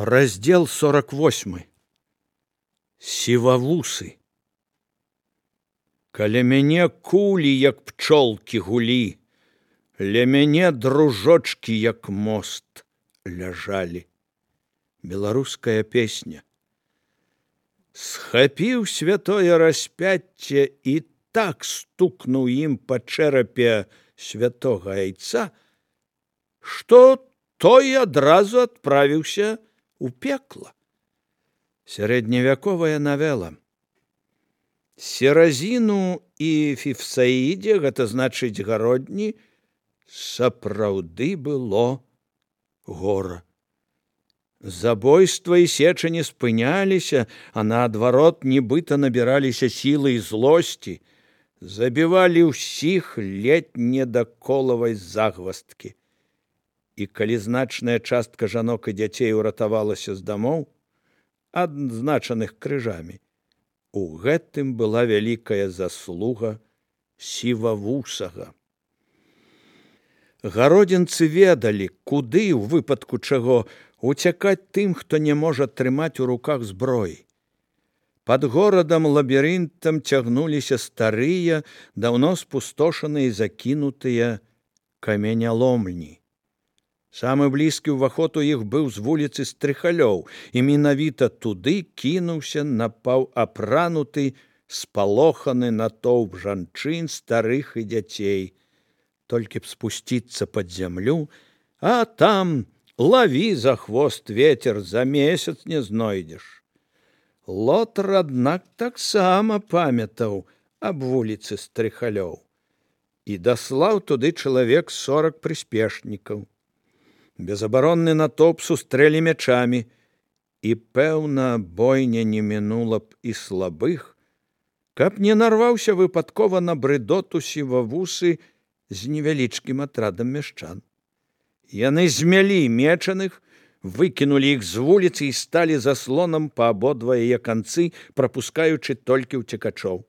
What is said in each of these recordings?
Раздел 48. Сівавусы. Каля мяне кулі, як пчолкі гулі, ля мяне дружочкі, як мост, ляжалі. Беларуская песня. Схапіў святое распяцце і так стукнуў ім па чэрапе святога айца, што той адразу адправіўся у пекла. Сярэдневяковая навела. Серазіну і Фіфсаідзе, гэта значыць гародні, сапраўды было гора. Забойства і сеча не спыняліся, а наадварот нібыта набіраліся сілы і злосці, забівалі ўсіх ледь не да колавай загвасткі. І калі значная частка жанок і дзяцей уратавалася з дамоў, адзначаных крыжамі, у гэтым была вялікая заслуга сівавусага. Гародзінцы ведалі, куды, у выпадку чаго, уцякаць тым, хто не можа трымаць у руках зброі. Пад горадам лабірынтам цягнуліся старыя, даўно спустошаныя і закінутыя каменяломні. Самы блізкі ўваход у іх быў з вуліцы Стрыхалёў, і менавіта туды кінуўся напаўапрануты, спалоханы натоўп жанчын, старых і дзяцей. Толькі б спусціцца пад зямлю, а там лаві за хвост ветер, за месяц не знойдзеш. Лотар, аднак, таксама памятаў аб вуліцы Стрыхалёў і даслаў туды чалавек 40 прыспешнікаў. Безабаронны натоўп сустрэлі мячамі, і, пэўна, бойня не мінула б і слабых, каб не нарваўся выпадкова на брыдоту сівавусы з невялічкім атрадам мяшчан. Яны змялі мечаных, выкінулі іх з вуліцы і сталі заслонам па абодва яе канцы, прапускаючы толькі ўцекачоў.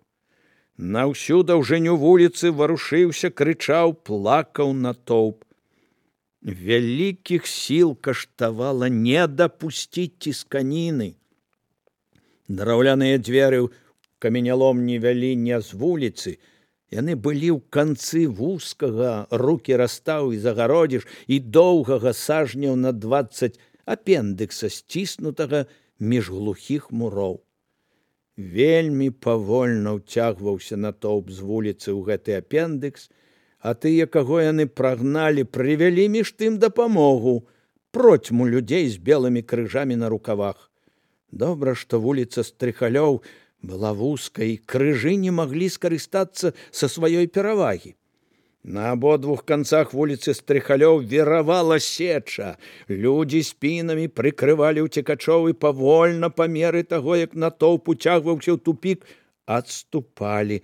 На ўсю даўжыню вуліцы варушыўся, крычаў, плакаў натоўп. Вялікіх сіл каштавала не дапусціць цісканіны. Драўляныя дзверы ў каменяломні вялі не з вуліцы, яны былі ў канцы вузкага, рукі растаў і загародзіш, і доўгага сажняў на 20 апендыкса, сціснутага між глухіх муроў. Вельмі павольна ўцягваўся натоўп з вуліцы ў гэты апендыкс, а тыя, каго яны прагналі, прывялі між тым дапамогу, процьму людзей з белымі крыжамі на рукавах. Добра, што вуліца Стрыхалёў была вузкай, і крыжы не маглі скарыстацца са сваёй перавагі. На абодвух канцах вуліцы Стрыхалёў віравала сеча. Людзі спінамі прыкрывалі ўцекачоў і павольна, па меры таго, як натоўп уцягваўся ў тупік, адступалі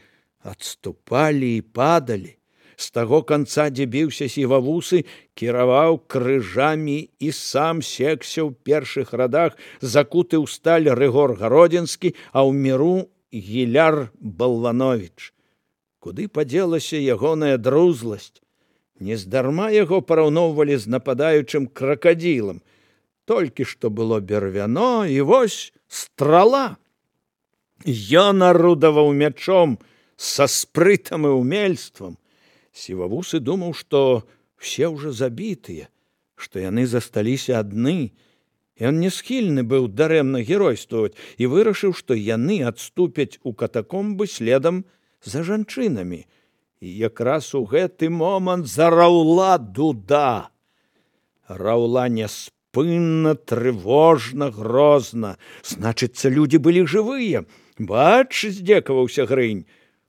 і падалі. З таго канца, дзе біўся сівавусы, кіраваў крыжамі і сам секся ў першых радах, закуты ў сталь Рыгор Гародзінскі, а ў міру Гіляр Балвановіч. Куды падзелася ягоная друзласць? Нездарма яго параўноўвалі з нападаючым кракадзілам. Толькі што было бервяно, і вось страла. Ён арудаваў мячом са спрытам і ўмельствам. Сівавусы думаў, што все ўжо забітыя, што яны засталіся адны. Ён не схільны быў дарэмна геройстваваць і вырашыў, што яны адступяць у катакомбы следам за жанчынамі. І якраз у гэты момант зараўла дуда. Раўла няспынна, трывожна, грозна. Значыцца, людзі былі жывыя. Бач, здзекаваўся Грынь.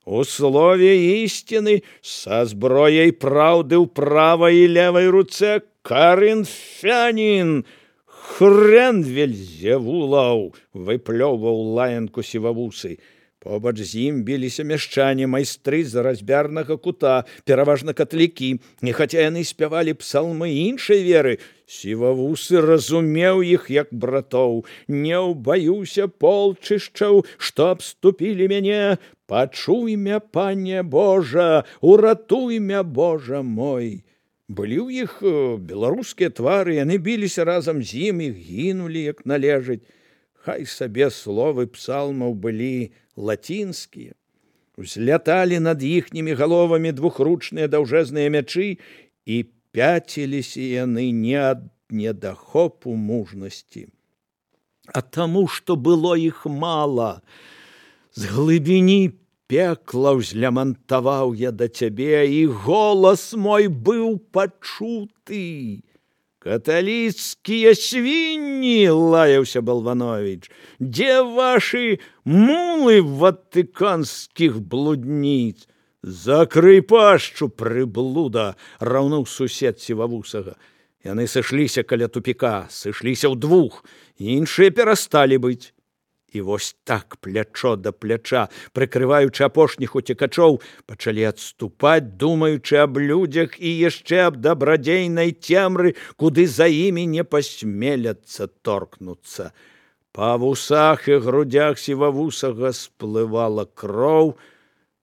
У слове ісціны, са зброяй праўды ў правай і левай руцэ, карынфянін, хрен Вельзевулаў, выплёўваў лаянку сівавусы. Побач з ім біліся мяшчане, майстры з разьбярнага кута, пераважна катлікі, і хаця яны спявалі псалмы іншай веры, сівавусы разумеў іх як братоў. Не ўбаюся полчышчаў, што абступілі мяне, пачуй мя, пане Божа, уратуй мя, Божа мой. Былі ў іх беларускія твары, яны біліся разам з ім і гінулі, як належыць. Хай сабе словы псалмаў былі лацінскія. Узляталі над іхнімі галовамі двухручныя даўжэзныя мячы, і пяціліся яны не ад недахопу мужнасці, а таму, што было іх мала. З глыбіні пекла ўзлямантаваў я да цябе, і голас мой быў пачуты. Каталіцкія свінні, лаяўся Балванович, дзе вашы мулы ватыканскіх блудніц? Закрый пашчу, прыблуда, раўнуў сусед Сівавусага. Яны сышліся каля тупіка, сышліся ўдвух, іншыя перасталі быць. І вось так, плячо да пляча, прыкрываючы апошніх уцекачоў, пачалі адступаць, думаючы аб людзях і яшчэ аб дабрадзейнай цемры, куды за імі не пасмеляцца торкнуцца. Па вусах і грудях Сівавусага сплывала кроў.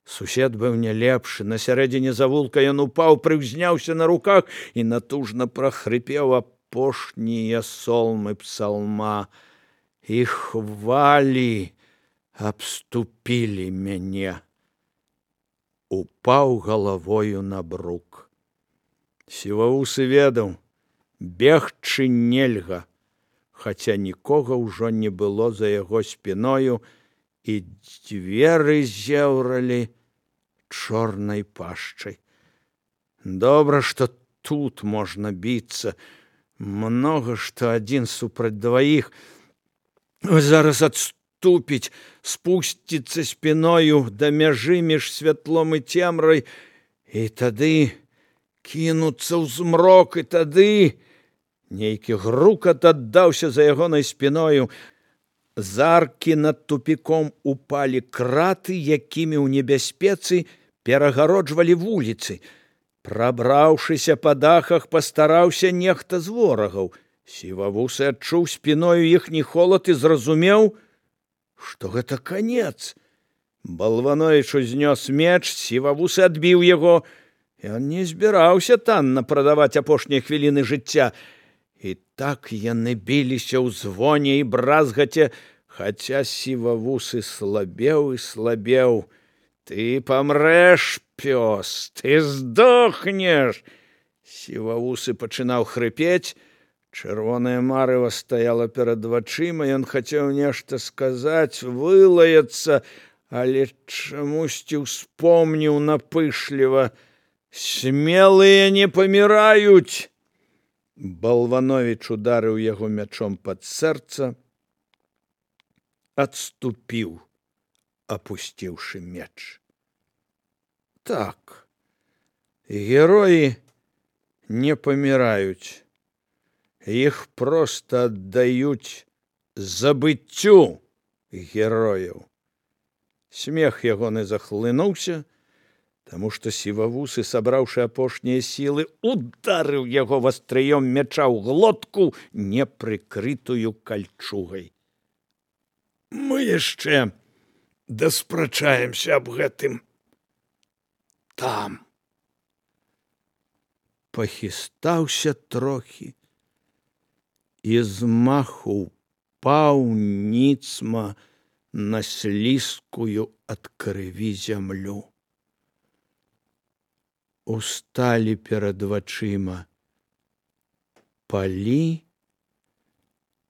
Сусед быў не лепшы. На сярэдзіне завулка ён упаў, прыўзняўся на руках і натужна прахрыпеў апошнія солмы псалма. І хвалі абступілі мяне. Упаў галавою на брук. Сівавусы ведаў, бегчы нельга, хаця нікога ўжо не было за яго спіною, і дзверы зеўралі чорнай пашчай. Добра, што тут можна біцца. Многа, што адзін супраць дваіх. Зараз адступіць, спусціцца спіною да мяжы між святлом і цемрай, і тады кінуцца ў змрок, і тады нейкі грукат аддаўся за ягонай спіною. З аркі над тупіком упалі краты, якімі ў небяспецы перагароджвалі вуліцы. Прабраўшыся па дахах, пастараўся нехта з ворагаў. Сівавусы адчуў спіною іхні холад і зразумеў, што гэта канец. Балванович узнёс меч, Сівавусы адбіў яго. Ён не збіраўся танна прадаваць апошнія хвіліны жыцця. І так яны біліся ў звоне і бразгаце, хаця Сівавусы слабеў і слабеў. Ты памрэш, пёс, ты здохнеш. Сівавусы пачынаў хрыпець. Чырвонае марыва стаяла перад вачыма, ён хацеў нешта сказаць, вылаяцца, але чамусьці ўспомніў напышліва: смелыя не паміраюць. Балванович ударыў яго мячом пад сэрца, адступіў, апусціўшы меч. Так, героі не паміраюць. Іх проста аддаюць забыццю герояў. Смех ягоны захлынуўся, таму што Сівавусы, сабраўшы апошнія сілы, ударыў яго вастрыём мяча ў глотку, непрыкрытую кальчугай. Мы яшчэ даспрачаемся аб гэтым там. Пахістаўся трохі, і з маху упаў ніцма на слізкую ад крыві зямлю. Усталі перад вачыма палі,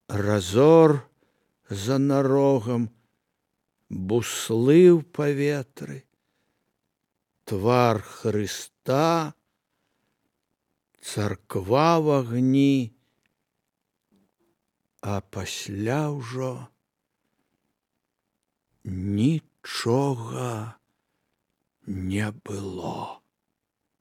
разор за нарогам, буслы ў паветры, твар Хрыста, царква в агні, а пасля ўжо нічога не было.